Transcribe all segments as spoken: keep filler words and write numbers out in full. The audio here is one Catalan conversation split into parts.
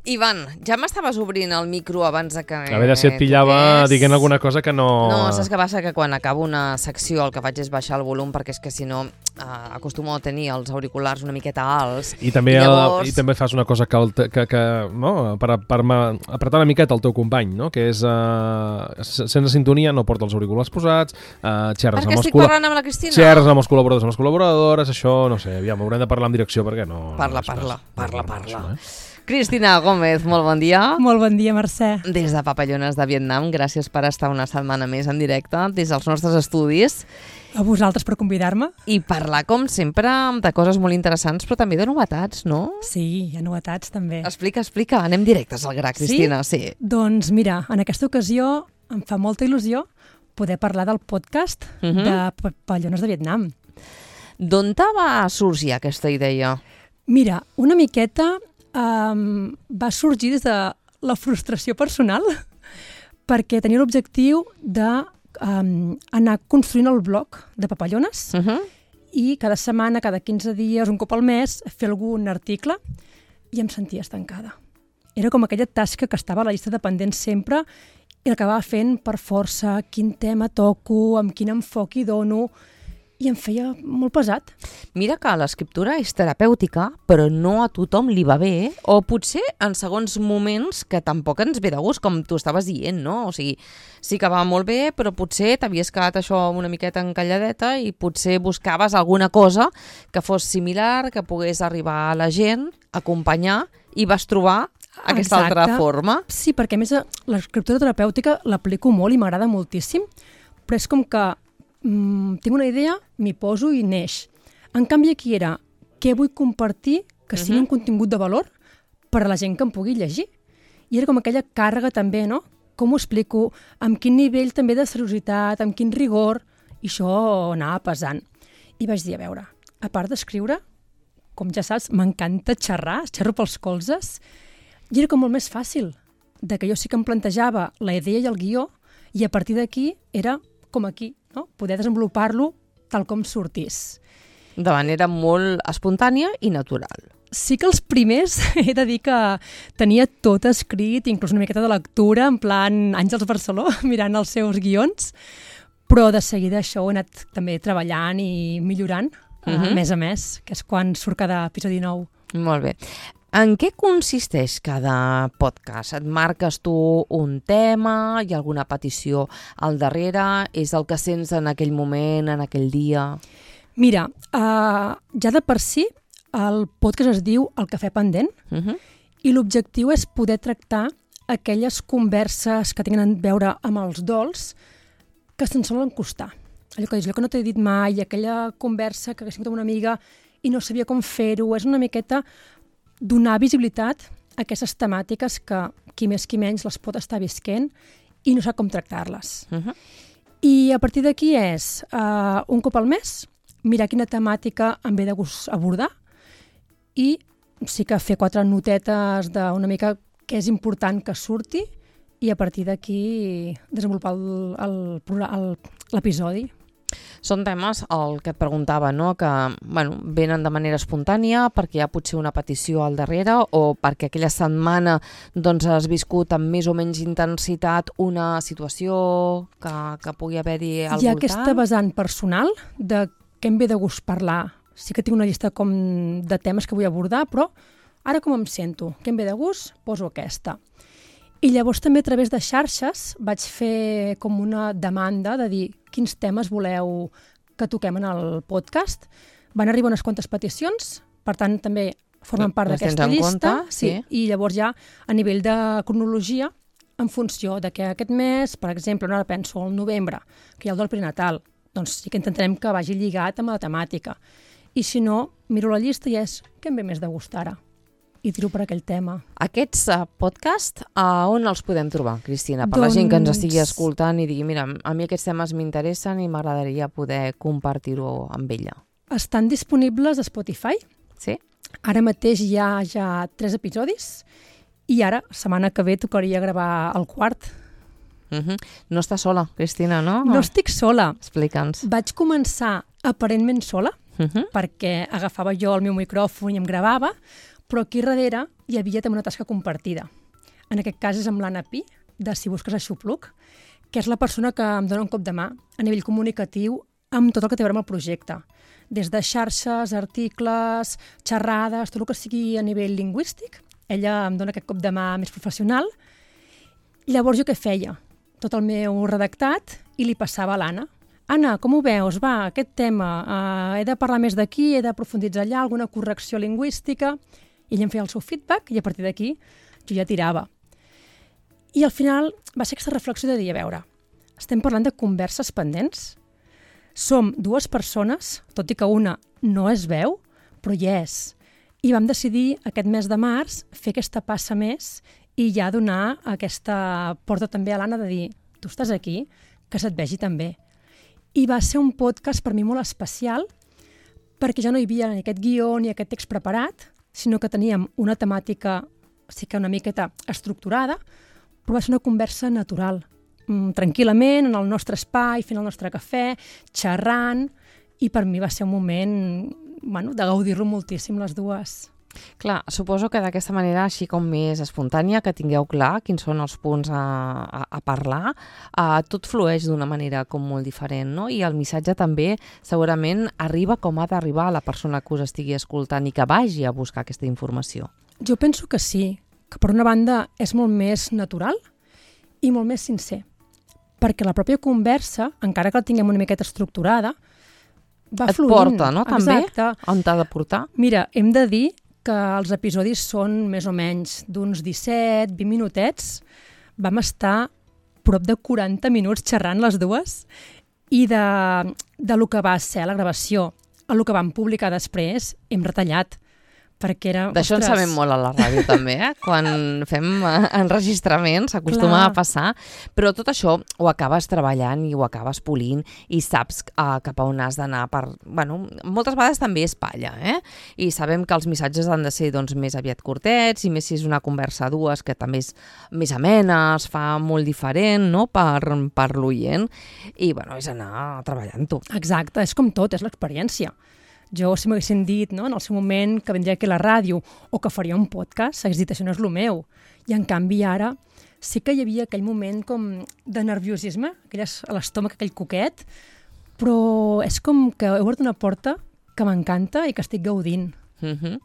Ivan, ja m'estaves obrint el micro abans de que... A veure si et pillava toqués. dient alguna cosa que no... No, saps què passa? Que quan acabo una secció el que faig és baixar el volum, perquè és que si no eh, acostumo a tenir els auriculars una miqueta alts. I també, I llavors... el, i també fas una cosa que, el, que, que no? per, per ma, apretar una miqueta el teu company, no? Que és, uh, sense sintonia, no porta els auriculars posats, uh, xerres perquè amb els estic parlant amb la Cristina? Xerres amb els col·laboradors, amb les col·laboradores, això, no sé, aviam, haurem de parlar en direcció perquè no... Parla, no parla, pas, parla, no, parla. això, eh? Cristina Gómez, molt bon dia. Molt bon dia, Mercè. Des de Papallones de Vietnam, gràcies per estar una setmana més en directe des dels nostres estudis. A vosaltres per convidar-me. I parlar, com sempre, de coses molt interessants, però també de novetats, no? Sí, hi ha novetats també. Explica, explica, anem directes al gra, Cristina. Sí? sí. Doncs mira, en aquesta ocasió em fa molta il·lusió poder parlar del podcast uh -huh. de Papallones de Vietnam. D'on te va sorgir aquesta idea? Mira, una miqueta um, va sorgir des de la frustració personal perquè tenia l'objectiu de um, anar construint el blog de Papallones Uh -huh. i cada setmana, cada quinze dies, un cop al mes, fer algun article i em sentia estancada. Era com aquella tasca que estava a la llista de pendents sempre i l'acabava fent per força, quin tema toco, amb quin enfoc hi dono, i em feia molt pesat. Mira que l'escriptura és terapèutica, però no a tothom li va bé, o potser en segons moments que tampoc ens ve de gust, com tu estaves dient, no? O sigui, sí que va molt bé, però potser t'havies quedat això una miqueta encalladeta i potser buscaves alguna cosa que fos similar, que pogués arribar a la gent, acompanyar, i vas trobar aquesta Exacte. altra forma. Sí, perquè a més l'escriptura terapèutica l'aplico molt i m'agrada moltíssim, però és com que mm, tinc una idea, m'hi poso i neix. En canvi aquí era què vull compartir que sigui uh-huh. un contingut de valor per a la gent que em pugui llegir. I era com aquella càrrega també, no? Com ho explico, amb quin nivell també de seriositat, amb quin rigor, i això anava pesant. I vaig dir, a veure, a part d'escriure, com ja saps, m'encanta xerrar, xerro pels colzes, i era com molt més fàcil, de que jo sí que em plantejava la idea i el guió, i a partir d'aquí era com aquí, no? Poder desenvolupar-lo tal com sortís. De manera molt espontània i natural. Sí que els primers he de dir que tenia tot escrit, inclús una miqueta de lectura, en plan Àngels Barceló, mirant els seus guions, però de seguida això ho he anat també treballant i millorant, uh-huh. a més a més, que és quan surt cada episodi nou. Molt bé. En què consisteix cada podcast? Et marques tu un tema? Hi ha alguna petició al darrere? És el que sents en aquell moment, en aquell dia? Mira, uh, ja de per si el podcast es diu El Cafè Pendent Uh-huh. i l'objectiu és poder tractar aquelles converses que tenen a veure amb els dols que se'n solen costar. Allò que dius, allò que no t'he dit mai, aquella conversa que hagués tingut amb una amiga i no sabia com fer-ho, és una miqueta donar visibilitat a aquestes temàtiques que qui més qui menys les pot estar visquent i no sap com tractar-les. Uh-huh. I a partir d'aquí és, uh, un cop al mes, mirar quina temàtica em ve de gust abordar i sí que fer quatre notetes d'una mica què és important que surti i a partir d'aquí desenvolupar el, el, el, l'episodi. Són temes, el que et preguntava, no? Que bueno, venen de manera espontània perquè hi ha potser una petició al darrere o perquè aquella setmana doncs, has viscut amb més o menys intensitat una situació que, que pugui haver-hi al Hi ha voltant? aquesta vessant personal de què em ve de gust parlar. Sí que tinc una llista com de temes que vull abordar, però ara com em sento? Què em ve de gust? Poso aquesta. I llavors també a través de xarxes vaig fer com una demanda de dir quins temes voleu que toquem en el podcast. Van arribar unes quantes peticions, per tant també formen part Les tens d'aquesta en llista. compte, sí. I llavors ja a nivell de cronologia, en funció de que aquest mes, per exemple, no ara penso al novembre, que hi ha el del prenatal, doncs sí que intentarem que vagi lligat amb la temàtica. I si no, miro la llista i és què em ve més de gust ara? I tiro per aquell tema. Aquests uh, podcasts, a on els podem trobar, Cristina? Per Doncs... la gent que ens estigui escoltant i digui, mira, a mi aquests temes m'interessen i m'agradaria poder compartir-ho amb ella. Estan disponibles a Spotify. Sí? Ara mateix hi ha ja tres episodis i ara, setmana que ve, tocaria gravar el quart. Uh-huh. No estàs sola, Cristina, no? No estic sola. Explica'ns. Vaig començar aparentment sola, Uh-huh. perquè agafava jo el meu micròfon i em gravava, però aquí darrere hi havia també una tasca compartida. En aquest cas és amb l'Anna Pi, de Si busques Aixopluc, que és la persona que em dona un cop de mà a nivell comunicatiu amb tot el que té a veure amb el projecte. Des de xarxes, articles, xerrades, tot el que sigui a nivell lingüístic. Ella em dona aquest cop de mà més professional. Llavors jo què feia? Tot el meu redactat i li passava a l'Anna. Anna, com ho veus? Va, aquest tema, uh, he de parlar més d'aquí, he d'aprofunditzar allà, alguna correcció lingüística. I ella em feia el seu feedback i a partir d'aquí jo ja tirava. I al final va ser aquesta reflexió de dir, a veure, estem parlant de converses pendents? Som dues persones, tot i que una no es veu, però hi és. I vam decidir aquest mes de març fer aquesta passa més i ja donar aquesta porta també a l'Anna de dir, tu estàs aquí, que se't vegi també. I va ser un podcast per mi molt especial perquè ja no hi havia ni aquest guió ni aquest text preparat, sinó que teníem una temàtica sí que una miqueta estructurada, però va ser una conversa natural, tranquil·lament, en el nostre espai, fent el nostre cafè, xerrant, i per mi va ser un moment bueno, de gaudir-lo moltíssim les dues. Clar, suposo que d'aquesta manera, així com més espontània, que tingueu clar quins són els punts a, a, a parlar, uh, tot flueix d'una manera com molt diferent, no? I el missatge també segurament arriba com ha d'arribar a la persona que us estigui escoltant i que vagi a buscar aquesta informació. Jo penso que sí, que per una banda és molt més natural i molt més sincer, perquè la pròpia conversa, encara que la tinguem una miqueta estructurada, va Et fluint. Et porta, no? També? Exacte. On t'ha de portar? Mira, hem de dir que els episodis són més o menys d'uns disset, vint minutets. Vam estar prop de quaranta minuts xerrant les dues i de, de lo que va ser la gravació a lo que vam publicar després hem retallat. Perquè era... D'això en sabem molt a la ràdio també, eh? Quan fem enregistraments s'acostuma a passar, però tot això ho acabes treballant i ho acabes polint i saps uh, cap a on has d'anar per... Bueno, moltes vegades també és palla, eh? I sabem que els missatges han de ser doncs, més aviat curtets i més si és una conversa a dues que també és més amena, es fa molt diferent, no?, per, per l'oient i, bueno, és anar treballant-ho. Exacte, és com tot, és l'experiència. Jo, si m'haguessin dit, no, en el seu moment que vindria aquí a la ràdio o que faria un podcast, s'hagués dit, això no és el meu. I, en canvi, ara sí que hi havia aquell moment com de nerviosisme, aquelles, a l'estómac, aquell coquet, però és com que he obert una porta que m'encanta i que estic gaudint. Uh-huh.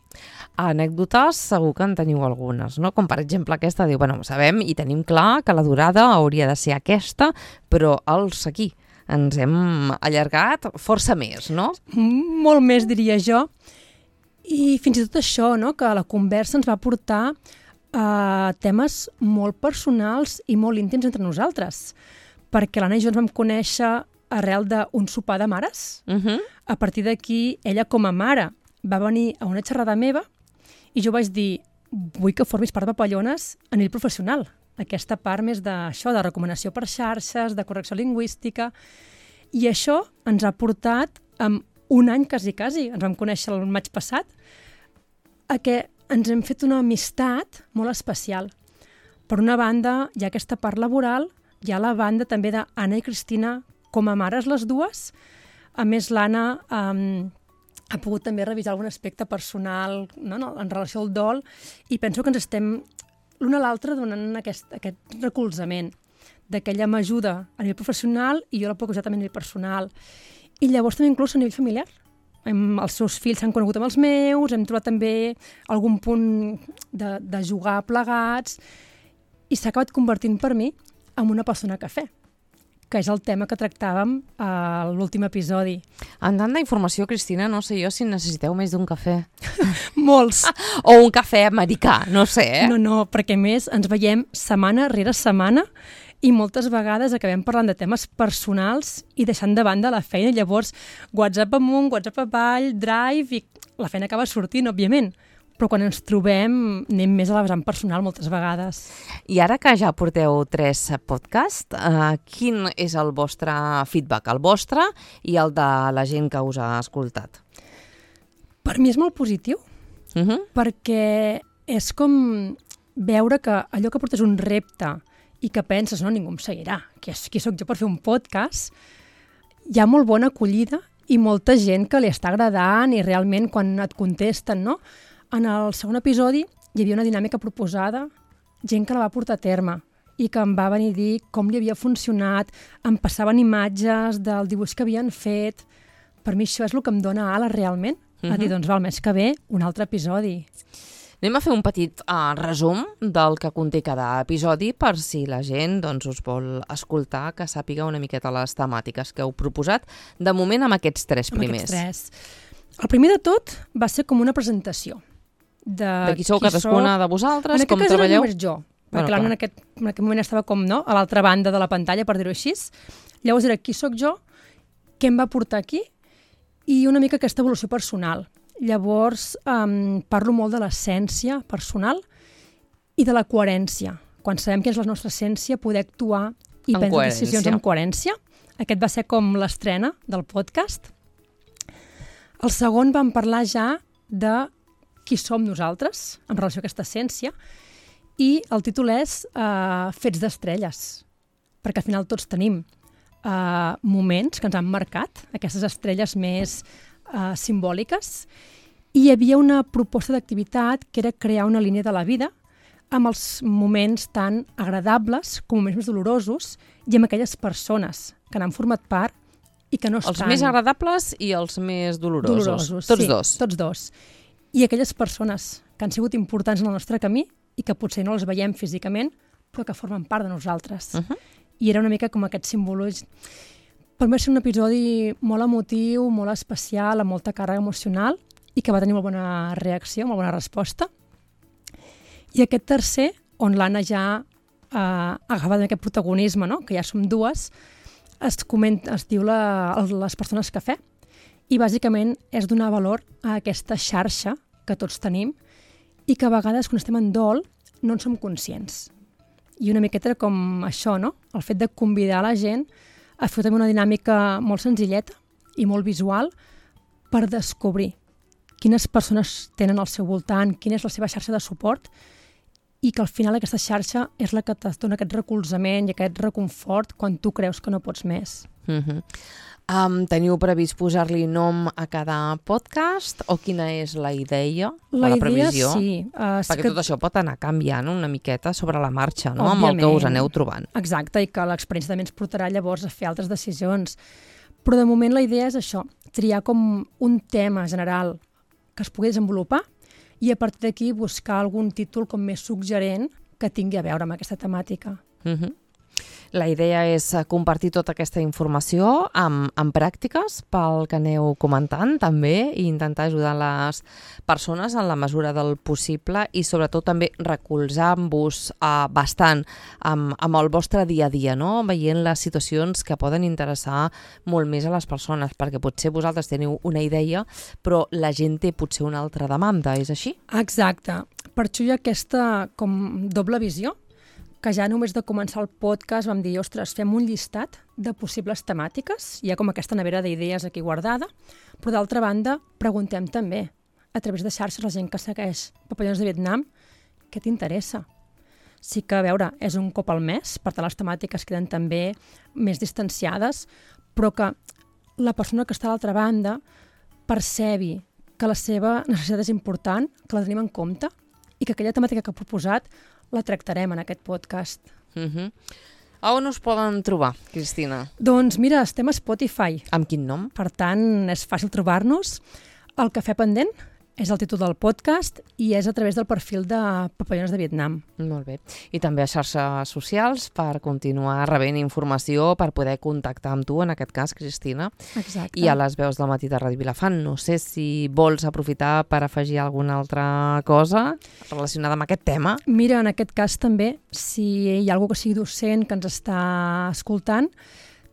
Anècdotes segur que en teniu algunes, no? Com per exemple aquesta, diu, bueno, sabem i tenim clar que la durada hauria de ser aquesta, però els aquí ens hem allargat força més, no? Molt més, diria jo. I fins i tot això, no?, que la conversa ens va portar a temes molt personals i molt íntims entre nosaltres. Perquè l'Anna i jo ens vam conèixer arrel d'un sopar de mares. Uh-huh. A partir d'aquí, ella com a mare va venir a una xerrada meva i jo vaig dir, vull que formis part de Papallones a nivell professional. Aquesta part més d'això, de recomanació per xarxes, de correcció lingüística, i això ens ha portat en un any quasi, quasi, ens vam conèixer el maig passat, a que ens hem fet una amistat molt especial. Per una banda, hi ha aquesta part laboral, hi ha la banda també d'Anna i Cristina com a mares les dues. A més, l'Anna um, ha pogut també revisar algun aspecte personal, no, no, en relació al dol, i penso que ens estem l'una a l'altra donant aquest, aquest recolzament, de que ella m'ajuda a nivell professional i jo la puc ajudar també a nivell personal. I llavors també inclús a nivell familiar. Hem, els seus fills s'han conegut amb els meus, hem trobat també algun punt de, de jugar plegats i s'ha acabat convertint per mi en una persona cafè, que és el tema que tractàvem a l'últim episodi. En tant d'informació, Cristina, no sé jo si necessiteu més d'un cafè. Molts. O un cafè americà, no sé, eh? No, no, perquè més ens veiem setmana rere setmana i moltes vegades acabem parlant de temes personals i deixant de banda la feina. Llavors, WhatsApp amunt, WhatsApp avall, Drive, i la feina acaba sortint, òbviament. Però quan ens trobem anem més a la vessant personal moltes vegades. I ara que ja porteu tres podcasts, eh, quin és el vostre feedback? El vostre i el de la gent que us ha escoltat? Per mi és molt positiu, uh-huh. perquè és com veure que allò que portes un repte i que penses, no, ningú em seguirà, qui, qui sóc jo per fer un podcast, hi ha molt bona acollida i molta gent que li està agradant i realment quan et contesten, no?, en el segon episodi hi havia una dinàmica proposada, gent que la va portar a terme i que em va venir a dir com li havia funcionat, em passaven imatges del dibuix que havien fet. Per mi això és el que em dona ales realment, uh-huh. a dir, doncs va, el mes que ve, un altre episodi. Anem a fer un petit uh, resum del que conté cada episodi per si la gent doncs, us vol escoltar, que sàpiga una miqueta les temàtiques que heu proposat, de moment amb aquests tres primers. Amb aquests tres. El primer de tot va ser com una presentació. De, de qui sou qui cadascuna soc... de vosaltres, en com treballeu? treballeu? En aquest cas jo, perquè bueno, en, aquest, en aquest moment estava com no, a l'altra banda de la pantalla, per dir-ho així. Llavors era qui sóc jo, què em va portar aquí i una mica aquesta evolució personal. Llavors um, parlo molt de l'essència personal i de la coherència. Quan sabem què és la nostra essència, poder actuar i en prendre coherència. decisions amb coherència. Aquest va ser com l'estrena del podcast. El segon vam parlar ja de qui som nosaltres en relació a aquesta essència i el títol és uh, Fets d'estrelles, perquè al final tots tenim uh, moments que ens han marcat, aquestes estrelles més uh, simbòliques, i hi havia una proposta d'activitat que era crear una línia de la vida amb els moments tan agradables com moments més dolorosos i amb aquelles persones que n'han format part i que no estan... Els més agradables i els més dolorosos. Dolorosos, tots sí, dos. tots dos. I aquelles persones que han sigut importants en el nostre camí i que potser no les veiem físicament, però que formen part de nosaltres. Uh-huh. I era una mica com aquest símbol. Per mi va ser un episodi molt emotiu, molt especial, amb molta càrrega emocional i que va tenir molt bona reacció, molt bona resposta. I aquest tercer, on l'Anna ja eh, ha agafat aquest protagonisme, no? Que ja som dues, es, comenta, es diu la, les persones cafè i bàsicament és donar valor a aquesta xarxa que tots tenim i que a vegades quan estem en dol no en som conscients. I una miqueta com això, no? El fet de convidar la gent a fer també una dinàmica molt senzilleta i molt visual per descobrir quines persones tenen al seu voltant, quina és la seva xarxa de suport i que al final aquesta xarxa és la que et dona aquest recolzament i aquest reconfort quan tu creus que no pots més. Uh-huh. Um, teniu previst posar-li nom a cada podcast o quina és la idea la o la idea, previsió? Sí. Uh, Perquè que... tot això pot anar canviant una miqueta sobre la marxa, no? Òbviament. Amb el que us aneu trobant. Exacte, i que l'experiència també ens portarà llavors a fer altres decisions. Però de moment la idea és això, triar com un tema general que es pugui desenvolupar i a partir d'aquí buscar algun títol com més suggerent que tingui a veure amb aquesta temàtica. Uh-huh. La idea és compartir tota aquesta informació amb, amb pràctiques pel que aneu comentant també i intentar ajudar les persones en la mesura del possible i sobretot també recolzar-vos uh, bastant amb, amb el vostre dia a dia, no? Veient les situacions que poden interessar molt més a les persones, perquè potser vosaltres teniu una idea però la gent té potser una altra demanda, és així? Exacte. Per això hi ha aquesta com doble visió que ja només de començar el podcast vam dir, ostres, fem un llistat de possibles temàtiques, hi ha com aquesta nevera d'idees aquí guardada, però d'altra banda preguntem també, a través de xarxes, la gent que segueix Papallones de Vietnam, què t'interessa? Sí que, a veure, és un cop al mes, per tant les temàtiques queden també més distanciades, però que la persona que està a l'altra banda percebi que la seva necessitat és important, que la tenim en compte i que aquella temàtica que ha proposat la tractarem en aquest podcast. Uh-huh. A on us poden trobar, Cristina? Doncs mira, estem a Spotify. Amb quin nom? Per tant, és fàcil trobar-nos. El Cafè Pendent és el títol del podcast i és a través del perfil de Papallones de Vietnam. Molt bé. I també a xarxes socials per continuar rebent informació, per poder contactar amb tu, en aquest cas, Cristina. Exacte. I a les veus del matí de Ràdio Vilafant. No sé si vols aprofitar per afegir alguna altra cosa relacionada amb aquest tema. Mira, en aquest cas també, si hi ha algú que sigui docent que ens està escoltant,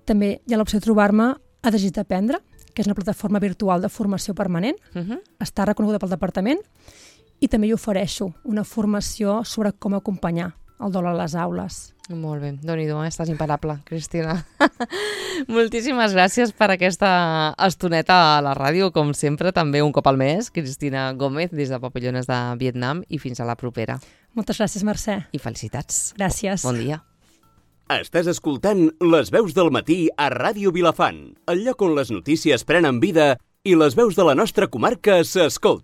també hi ha l'opció de trobar-me a Desig d'Aprendre, que és una plataforma virtual de formació permanent. Uh-huh. Està reconeguda pel departament i també hi ofereixo una formació sobre com acompanyar el dol a les aules. Molt bé. Déu-n'hi-do, eh? Estàs imparable, Cristina. Moltíssimes gràcies per aquesta estoneta a la ràdio, com sempre, també un cop al mes. Cristina Gómez, des de Papallones de Vietnam, i fins a la propera. Moltes gràcies, Mercè. I felicitats. Gràcies. Bon dia. Estàs escoltant Les veus del matí a Ràdio Vilafant, el lloc on les notícies prenen vida i les veus de la nostra comarca s'escolten.